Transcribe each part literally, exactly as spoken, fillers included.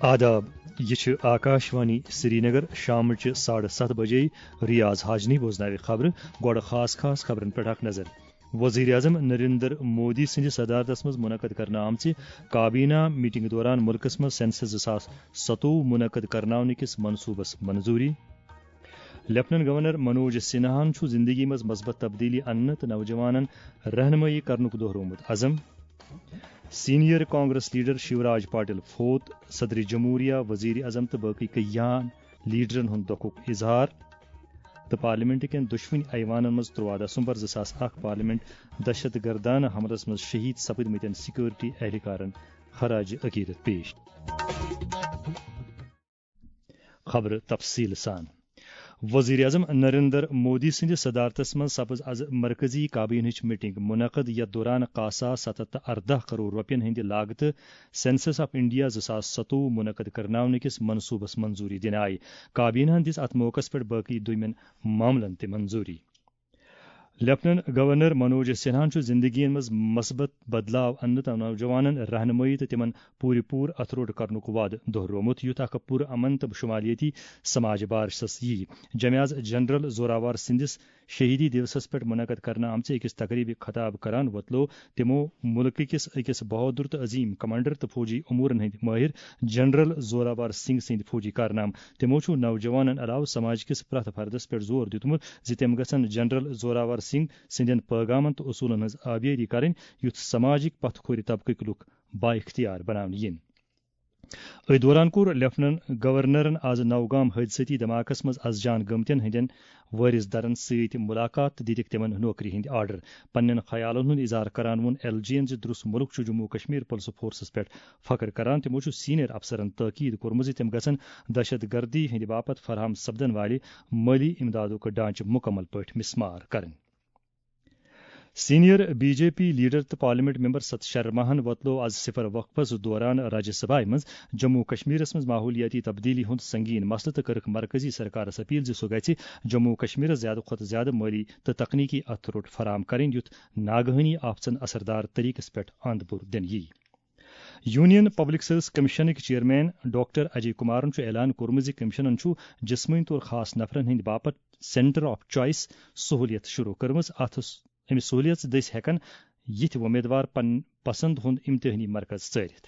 آداب، یہِ چھِ آکاشوانی سرینگر۔ شامٕچہِ ساڑٕ ستھ بجے۔ ریاض حاجنی بوزناوِ خبرٕ۔ گۄڈٕ خاص خاص خبرن پٮ۪ٹھ اکھ نظر۔ وزیر اعظم نریندر مودی سٕنٛدِ صدارتس منٛز منعقد کرنہٕ آمژِ کابینہ میٹنگ دوران مُلکس منٛز سینسس زٕ ساس ستووُہ منعقد کرناونہٕ کِس منصوبس منظوری۔ لیفٹننٹ گورنر منوج سنہاہن چھُ زندگی منٛز مثبت تبدیلی اننہٕ تہٕ نوجوانن رہنمٲیی کرنُک دۄہرومُت عزم۔ سینئر کانگریس لیڈر شیوراج پاٹل فوت، صدر جمہوریہ، وزیر اعظم تہٕ باقی کیان لیڈرن ہُنٛد دۄکھُک اظہار۔ تہٕ پارلیمنٹ کٮ۪ن دۄشوٕنی ایوانن منٛز ترٛوواہ دسمبر زٕ ساس اکھ پارلیمنٹ دہشت گردانہ حملس منٛز شہید سپدمٕتٮ۪ن سیکورٹی اہلکارن خراج عقیدت پیش۔ خبرٕ تفصیٖل سان۔ وزیر اعظم نریندر مودی سٕنٛدِ صدارتس منٛز سپٕز از مرکزی کابینہٕچ میٹنگ منعقد، یتھ دوران کاہ ساس ستھ ہتھ تہٕ ارداہ کرور رۄپین ہٕنٛدِ لاگتہٕ سینسس آف انڈیا زٕ ساس ستووُہ منعقد کرناونہٕ کِس منصوبس منظوری دِنہٕ آیہِ۔ کابینہن دِژ اتھ موقعس پٮ۪ٹھ باقی دوٚیمٮ۪ن معاملن تہِ منظوری۔ لیفٹننٹ گورنر منوج سنہاہن چھُ زندگین منٛز مثبت بدلاو اننہٕ تہٕ نوجوانن رہنمٲیی تہٕ تِمن پوٗرٕ پوٗرٕ اتھٕ روٚٹ کرنُک وعدٕ دۄہرومُت، یُتھ اکھ پُر امن تہٕ شمالیتی سماج بارشس ییہِ۔ جمعیاز جنرل زوراوار سٕنٛدِس شہیدی دیوسس پٮ۪ٹھ منعقد کرنہٕ آمژِ أکِس تقریبہِ خطاب کران وۄتلوو تِمو مُلکہٕ کِس أکِس بہادُر تہٕ عظیم کمانڈر تہٕ فوجی امورن ہٕنٛدۍ مٲہِر جنرل زوراوار سنگھ سٕنٛدۍ فوجی کارنامہٕ۔ تِمو چھُ نوجوانن علاوٕ سماج کِس پرٛٮ۪تھ فردس پٮ۪ٹھ زور دیُتمُت زِ تِم گژھن جنرل زوراور سنگھ سٕنٛدٮ۪ن پٲغامن تہٕ اصوٗلن ہٕنٛز آبیٲری کرٕنۍ، یُتھ سماجٕکۍ پتھ کھورِ طبقٕکۍ لُکھ بااختیار بناونہٕ یِن۔ أتھۍ دوران کوٚر لیفٹننٹ گورنرن آز نوگام حٲدثٲتی دھماکس منٛز از جان گٔمتٮ۪ن ہٕنٛدٮ۪ن وٲرِث دارن سۭتۍ مُلاقات تہٕ دِتِکھ تِمن نوکری ہٕنٛدۍ آرڈر۔ پننٮ۪ن خیالن ہُنٛد اظہار کران ووٚن ایل جی یَن زِ درُس مُلک چھُ جموں کشمیر پُلسہٕ فورسَس پٮ۪ٹھ فخر کران۔ تِمو چھُ سینئر افسرن تٲکید کوٚرمُت زِ تِم گژھن دہشت گردی ہٕنٛدِ باپتھ فراہم سپدن والہِ مٲلی امدادُک ڈھانچہٕ مُکمل پٲٹھۍ مسمار کرٕنۍ۔ Senior B J P leader تہٕ پارلیمنٹ ممبر ست شرماہن وۄتلوو از صفر وقفس دوران راجیہ سبھایہ منٛز جموں و کشمیرس منٛز ماحولیاتی تبدیلی ہُنٛد سنگین مسلہٕ تہٕ کٔرٕکھ مرکزی سرکارس اپیل زِ سُہ گژھِ جموں و کشمیرس زیادٕ کھۄتہٕ زیادٕ مٲلی تہٕ تکنیکی اتھٕ روٚٹ فراہم کرٕنۍ، یُتھ ناگہٲنی آفژن اثردار طریقس پٮ۪ٹھ اند پور دِنہٕ یِیہِ۔ یونین پبلک سروس کمیشنٕکۍ چیئرمین ڈاکٹر اجے کمارن چھُ اعلان کوٚرمُت زِ کمیشنن چھُ جسمٲنی طور خاص نفرن ہٕنٛدِ باپتھ سینٹر آف چوائس سہولیت شروع کٔرمٕژ۔ اتھ س-، امہِ سہولیت دٔسۍ ہٮ۪کن یِتھۍ وۄمیدوار پن-، پسند ہُنٛد امتحٲنی مرکز ژٲرِتھ۔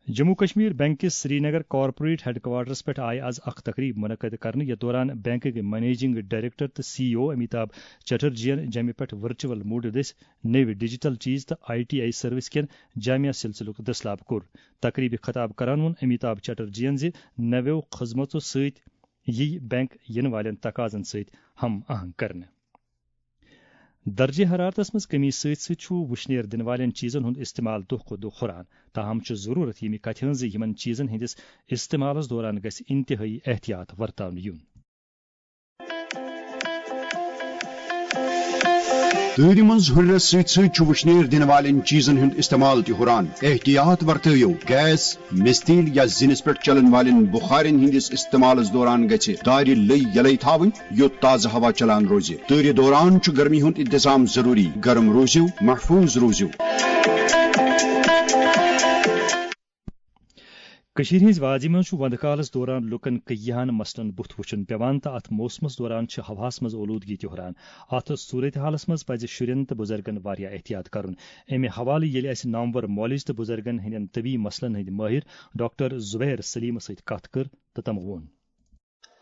جموں کشمیر بینک کِس سرینگر کارپوریٹ ہیڈ کوارٹرس پٮ۪ٹھ آیہِ از اکھ تقریب منعقد کرنہٕ، یتھ دوران بینکٕکۍ منیجنگ ڈائریکٹر تہٕ سی ای او امیتابھ چٹرجین جمہِ پٮ۪ٹھ ورچوئل موڈ دٔسۍ نٔوۍ ڈیجیٹل چیز تہٕ آئی ٹی آئی سروس کٮ۪ن جامع سلسلُک دٔسلاب کوٚر۔ تقریبہِ خطاب کران ووٚن امیتابھ چٹرجین زِ نویو خدمژو سۭتۍ یِیہِ بینک یِنہٕ والٮ۪ن تقاضن سۭتۍ ہم آہنگ کرنہٕ۔ درجہ حرارتس منٛز کمی سۭتۍ سۭتۍ چھُ وُشنیر دِنہٕ والٮ۪ن چیزن ہُنٛد استعمال دۄہ کھۄتہٕ دۄہ ہُران۔ تاہم چھُ ضروٗرت ییٚمہِ کتھِ ہٕنٛز زِ یِمن چیزن ہٕنٛدِس استعمالس دوران گژھِ انتہٲئی احتیاط ورتاونہٕ یُن۔ تۭرِ منٛز ہُرنس سۭتۍ سۭتۍ چھُ وُشنیر دِنہٕ والٮ۪ن چیزن ہُنٛد استعمال تہِ ہُران۔ احتیاط ورتٲیِو، گیس، مِستیٖل یا زِنِس پٮ۪ٹھ چلن والٮ۪ن بُخارٮ۪ن ہٕنٛدِس استعمالس دوران گژھِ دارِ لٔۍ یلے تھاوٕنۍ، یوٚت تازٕ ہوا چلان روزِ۔ تۭرِ دوران چھُ گرمی ہُنٛد انتظام ضروٗری۔ گرم روٗزِو، محفوٗظ روٗزِو۔ کٔشیٖرِ ہٕنٛزِ وادی منٛز چھُ وندٕ کالس دوران لوٗکن کیاہن مسلن بُتھ وُچھُن پٮ۪وان تہٕ اتھ موسمس دوران چھِ ہوہس منٛز اولوٗدگی تہِ ہُران۔ اتھ صورتحالس منٛز پزِ شُرٮ۪ن تہٕ بُزرگن واریاہ احتیاط کرُن۔ امہِ حوالہٕ ییٚلہِ اسہِ نامور مولج تہٕ بُزرگن ہٕنٛدٮ۪ن طبی مسلن ہٕنٛدۍ مٲہِر ڈاکٹر زبیر سلیمس سۭتۍ کتھ کٔر تہٕ تٔمۍ ووٚن۔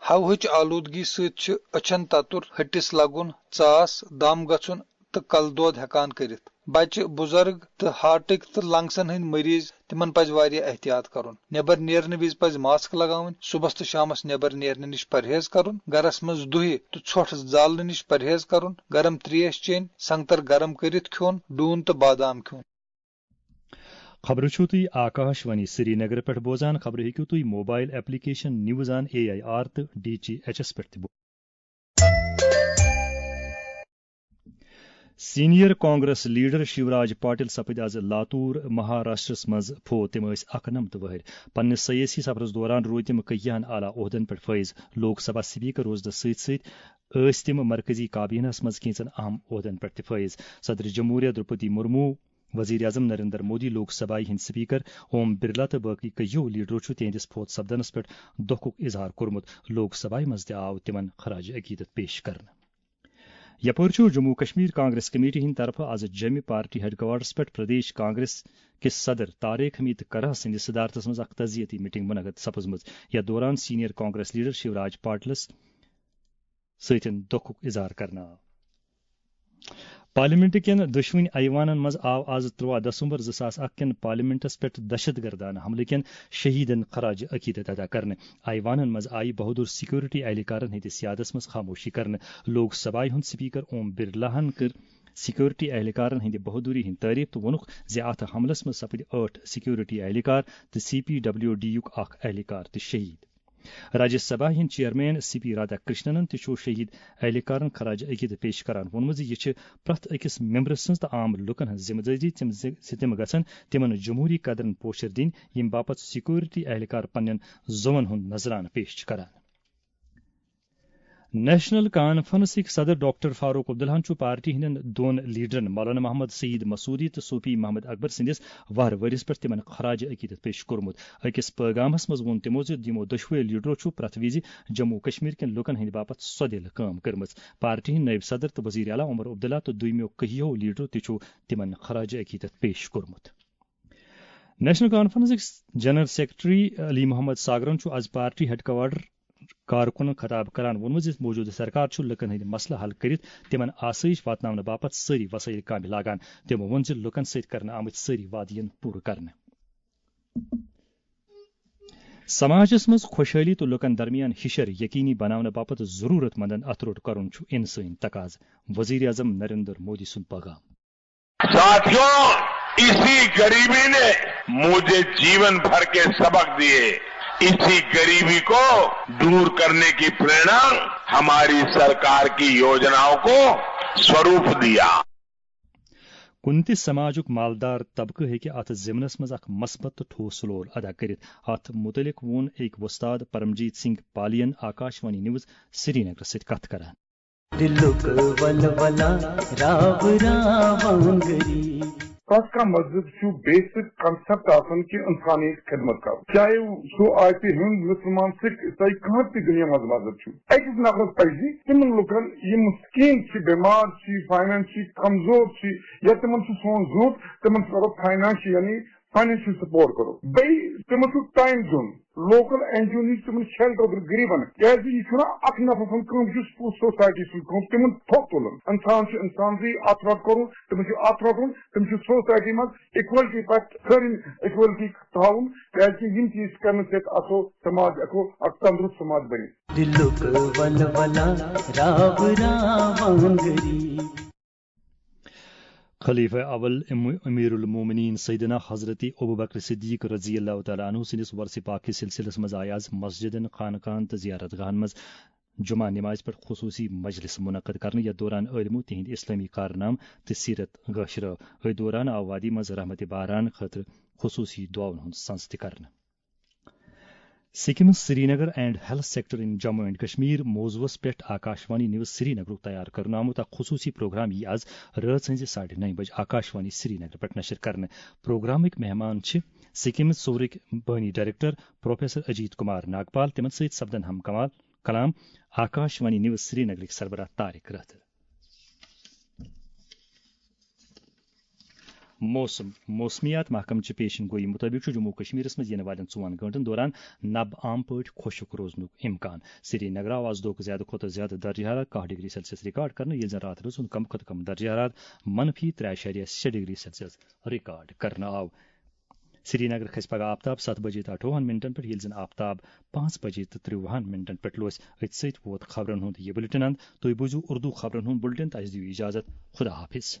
ہوہٕچ آلودگی سۭتۍ چھِ أچھن تتُر، ۂٹِس لگُن، ژاس، دم گژھُن تہٕ کلہٕ دود ہٮ۪کان کٔرِتھ۔ بچہِ، بُزرگ تہٕ ہارٹٕکۍ تہٕ لنگسن ہٕنٛدۍ مریض، تِمن پزِ واریاہ احتیاط کرُن۔ نٮ۪بر نیرنہٕ وِزِ پزِ ماسک لگاوٕنۍ، صُبحس تہٕ شامس نٮ۪بر نیرنہٕ نِش پرہیز کرُن، گرس منٛز دُہہِ تہٕ ژھۄٹھ زالنہٕ نِش پرہیز کرُن، گرم تریش چیٚنۍ، سنگتر گرم کٔرِتھ کھیوٚن، ڈوٗن تہٕ بادام کھیوٚن۔ خبرٕ چھِو تُہۍ آکاش وانی سرینگرٕ پٮ۪ٹھ بوزان۔ خبرٕ ہیٚکِو تُہۍ mobile application news on A I R تہٕ ڈی ٹی ایچ ایس پٮ۪ٹھ تہِ بوزِتھ۔ سینئر کانگریس لیڈر شیوراج پاٹل سپٕدۍ از لاتور، مہاراشٹرس منٛز فوت۔ تِم ٲسۍ اَکہٕ نَمَتھ وُہٕرۍ۔ پننِس سیٲسی سفرس دوران روٗدۍ تِم کیاہن اعلیٰ عہدن پٮ۪ٹھ فٲیِز۔ لوک سبھا سپیکر روزنس سۭتۍ سۭتۍ ٲسۍ تِم مرکزی کابینہس منٛز کینٛژن اہم عہدن پٮ۪ٹھ تہِ فٲیِز۔ صدر جمہوریہ درٛوپدی مرمو، وزیر اعظم نریندر مودی، لوک سبھایہ ہٕنٛدۍ سپیکر اوم برلا تہٕ باقی کٔہیو لیڈرو چھُ تِہنٛدِس فوت سپدنس پٮ۪ٹھ دۄکھُک اظہار کوٚرمُت۔ لوک سبھایہ منٛز تہِ آو تِمن خراج عقیدت پیش کرنہٕ۔ یپٲرۍ چھُ جموں کشمیر کانگریس کمیٹی ہٕنٛدِ طرفہٕ از جوٚمہِ پارٹی ہیڈکوارٹرس پٮ۪ٹھ پردیش کانگریس کِس صدر طارق حمید کرہ سٕنٛدِس صدارتس منٛز اکھ تعزیتی میٹنگ منعقد سپٕزمٕژ، یتھ دوران سینئر کانگریس لیڈر شیوراج پاٹلس سۭتۍ دۄکھُک اظہار کرنہٕ آو۔ پارلیمنٹ کٮ۪ن دۄشوٕنی ایوانن منٛز آو از ترٛوہ دسمبر زٕ ساس اکھ کٮ۪ن پارلیمنٹس پٮ۪ٹھ دہشت گردانہٕ حملہٕ کٮ۪ن شہیدن خراج عقیدت ادا کرنہٕ۔ ایوانن منٛز آیہِ بہادر سیکورٹی اہلکارن ہٕنٛدِس یادس منٛز خاموشی کرنہٕ۔ لوک سبھایہ ہُنٛد سپیکر اوم برلاہن کٔر سیکورٹی اہلکارن ہٕنٛدِ بہادری ہٕنٛز تعریف تہٕ ووٚنُکھ زِ اتھ حملس منٛز سپٕدۍ ٲٹھ سیکورٹی اہلکار تہٕ سی پی ڈبلیو ڈی یُک اکھ اہلکار تہِ شہید۔ راجیہ سبھا ہٕنٛدۍ چیئرمین سی پی رادھا کرشننن تہِ چھُ شہید اہلکارن خراج عقیدت پیش کران ووٚنمُت زِ یہِ چھِ پرٛٮ۪تھ أکِس ممبرٕ سٕنٛز تہٕ عام لوٗکن ہٕنٛز ذمہٕ دٲری تِم زِ زِ تِم گژھن تِمن جمہوٗری قدرن پوچھر دِنۍ، ییٚمہِ باپتھ سیکورٹی اہلکار پننٮ۪ن زوون ہُنٛد نذرانہٕ پیش چھِ کران۔ نیشنل کانفرنسٕکۍ صدر ڈاکٹر فاروق عبداللہن چھُ پارٹی ہٕنٛدٮ۪ن دۄن لیڈرن مولانا محمد سعید مسعودی تہٕ صوفی محمد اکبر سٕنٛدِس وہرٕ ؤرِس پٮ۪ٹھ تِمن خراج عقیدت پیش کوٚرمُت۔ أکِس پٲغامس منٛز ووٚن تِمو زِ یِمو دۄشوٕے لیڈرو چھُ پرٛٮ۪تھ وِزِ جموں و کشمیر کٮ۪ن لوٗکن ہٕنٛدِ باپتھ سۄدِل کٲم کٔرمٕژ۔ پارٹی ہٕنٛدۍ نٲیِب صدر تہٕ وزیر اعلیٰ عمر عبداللہ تہٕ دوٚیمٮ۪و کٔہیو لیڈرو تہِ چھُ تِمن خراج عقیدت پیش کوٚرمُت۔ نیشنل کانفرنسٕکۍ جنرل سیکرٹری علی محمد ساگرن چھُ از پارٹی ہیڈکوارٹر کارکُنن خطاب کران ووٚنمُت زِ موجودٕ سرکار چھُ لوٗکن ہٕنٛدۍ مسلہٕ حل کٔرِتھ تِمن آسٲیِش واتناونہٕ باپتھ سٲری وسٲیِل کامہِ لاگان۔ تِمو ووٚن زِ لوٗکن سۭتۍ کرنہٕ آمٕتۍ سٲری وعدٕ یِن پوٗرٕ کرنہٕ۔ سماجس منٛز خۄشحٲلی تہٕ لوٗکن درمیان ہِشر یقینی بناونہٕ باپتھ ضروٗرت مندن اتھٕ روٚٹ کرُن چھُ انسٲنی تقاضہٕ، وزیر اعظم نریندر مودی سُنٛد پیغام۔ साथियों, इसी गरीबी ने मुझे जीवन भर के सबक दिए। इसी गरीबी को दूर करने की प्रेरणा हमारी सरकार की योजनाओं को स्वरूप दिया। کُنہِ تہِ سماجُک مالدار طبقہٕ ہیٚکہِ اتھ ضمنس منٛز اکھ مثبت تہٕ ٹھوس رول ادا کٔرِتھ۔ اتھ مُتعلق ووٚن أکۍ وۄستاد پرمجیت سنگھ پالین آکاشوانی نیوز سرینگرس سۭتۍ کتھ کران۔ دلُک ولولہ راو راوانگری۔ پرٛٮ۪تھ کانٛہہ مذہب چھُ بیسک کنسپٹ آسان کہِ انسانیت خدمت کرُن، چاہے سُہ آسہِ ہیوٚنٛد، مسلمان، سکھ، عیسائی، کانٛہہ تہِ دُنیا منٛز مذہب چھُ۔ أکِس نفرس پزِ تِمن لُکن یِم مسکین چھِ، بٮ۪مار چھِ، فاینانشلی کمزور چھِ، یا تِمن چھُ سون ضروٗرت، تِمن چھُ کرو فاینانشلی یعنی فاینانشل سپورٹ کرو۔ بیٚیہِ تِمن چھُ ٹایم دیُن، لوکل این جی او نِش تِمن شیلٹر دیُن غریبن، کیازِ یہِ چھُنہٕ اکھ نفر سٕنٛز کٲم، یہِ چھُ پوٗرٕ سوسایٹی سٕنٛز کٲم، تِمن تھوٚپ تُلُن۔ انسان چھُ انسانسٕے اتھ رٹ کرُن، تِمن چھُ اتھ رٹُن، تِم چھِ سوسایٹی منٛز اِکوَلٹی پٮ۪ٹھ سٲرٕے اِکوَلٹی تھاوُن، کیازِ یِم چیٖز کرنہٕ سۭتۍ آسو سماج ہٮ۪کو اکھ تندرست سماج بٔنِتھ۔ دلُک ولولہ راو راوانگری۔ خلیفہ اول ام-، امیر المومنین سیدنا حضرت ابوبکر صدیق رضی اللہ تعالیٰ عنہ سٕنٛدِس ورثہ پاک کِس سلسلس منٛز آیہِ آز مسجدن، خانقاہن تہٕ زیارت گاہن منٛز جمعہ نمازِ پٮ۪ٹھ خصوصی مجلس منعقد کرنہٕ، یتھ دوران عٲلمو تِہنٛدۍ اسلٲمی کارنامہٕ تہٕ سیرت گٲش رٲو۔ أتھۍ دوران آو وادی منٛز رحمتِ باران خٲطرٕ خصوصی دعاون ہُنٛد سنز تہِ کرنہٕ۔ SKIMS Srinagar and health sector in Jammu and Kashmir موضوعس پٮ۪ٹھ آکاشوانی نیوز سرینگرُک تیار کرنہٕ آمُت اکھ خصوصی پروگرام یی از رٲژ ہٕنزِ ساڑِ نَیہِ بجہِ آکاشوانی سرینگر پٮ۪ٹھ نشر کرنہٕ۔ پروگرامٕکۍ مہمان چھِ سکمز صورٕکۍ بٲنی ڈائریکٹر پروفیسر اجیت کمار ناگپال، تِمن سۭتۍ سپدن ہم کمال کلام آکاشوانی نیوز سرینگرٕکۍ سربراہ طارق رٲتھر۔ موسم۔ موسمیات محکمہٕ چہِ پیشن گویی مُطٲبِق چھُ جموں و کشمیرس منٛز یِنہٕ والٮ۪ن ژۄن گٲنٛٹن دوران نبہٕ عام پٲٹھۍ خۄشک روزنُک امکان۔ سرینگرٕ آو آز دۄہُک زیادٕ کھۄتہٕ زیادٕ درجہٕ حرارت کاہ ڈگری سیلسیس ریکارڈ کرنہٕ، ییٚلہِ زن راتھ رٲژ ہُنٛد کم کھۄتہٕ کم درجہٕ حرارت منفی ترٛےٚ اعشاریہ شےٚ ڈگری سیلسیس ریکارڈ کرنہٕ آو۔ سرینگر کھسہِ پگہہ آفتاب ستھ بجے تہٕ اَٹھووُہن منٹن پٮ۪ٹھ، ییٚلہِ زن آفتاب پانٛژھ بجے تہٕ ترٛوُہن منٹن پٮ۪ٹھ لوس۔ أتھۍ سۭتۍ ووت خبرن ہُنٛد یہِ بُلٹن اند۔ تُہۍ بوٗزِو اردو خبرن ہُنٛد بُلٹن، تہٕ اَسہِ دِیِو اجازت۔ خدا حافظ۔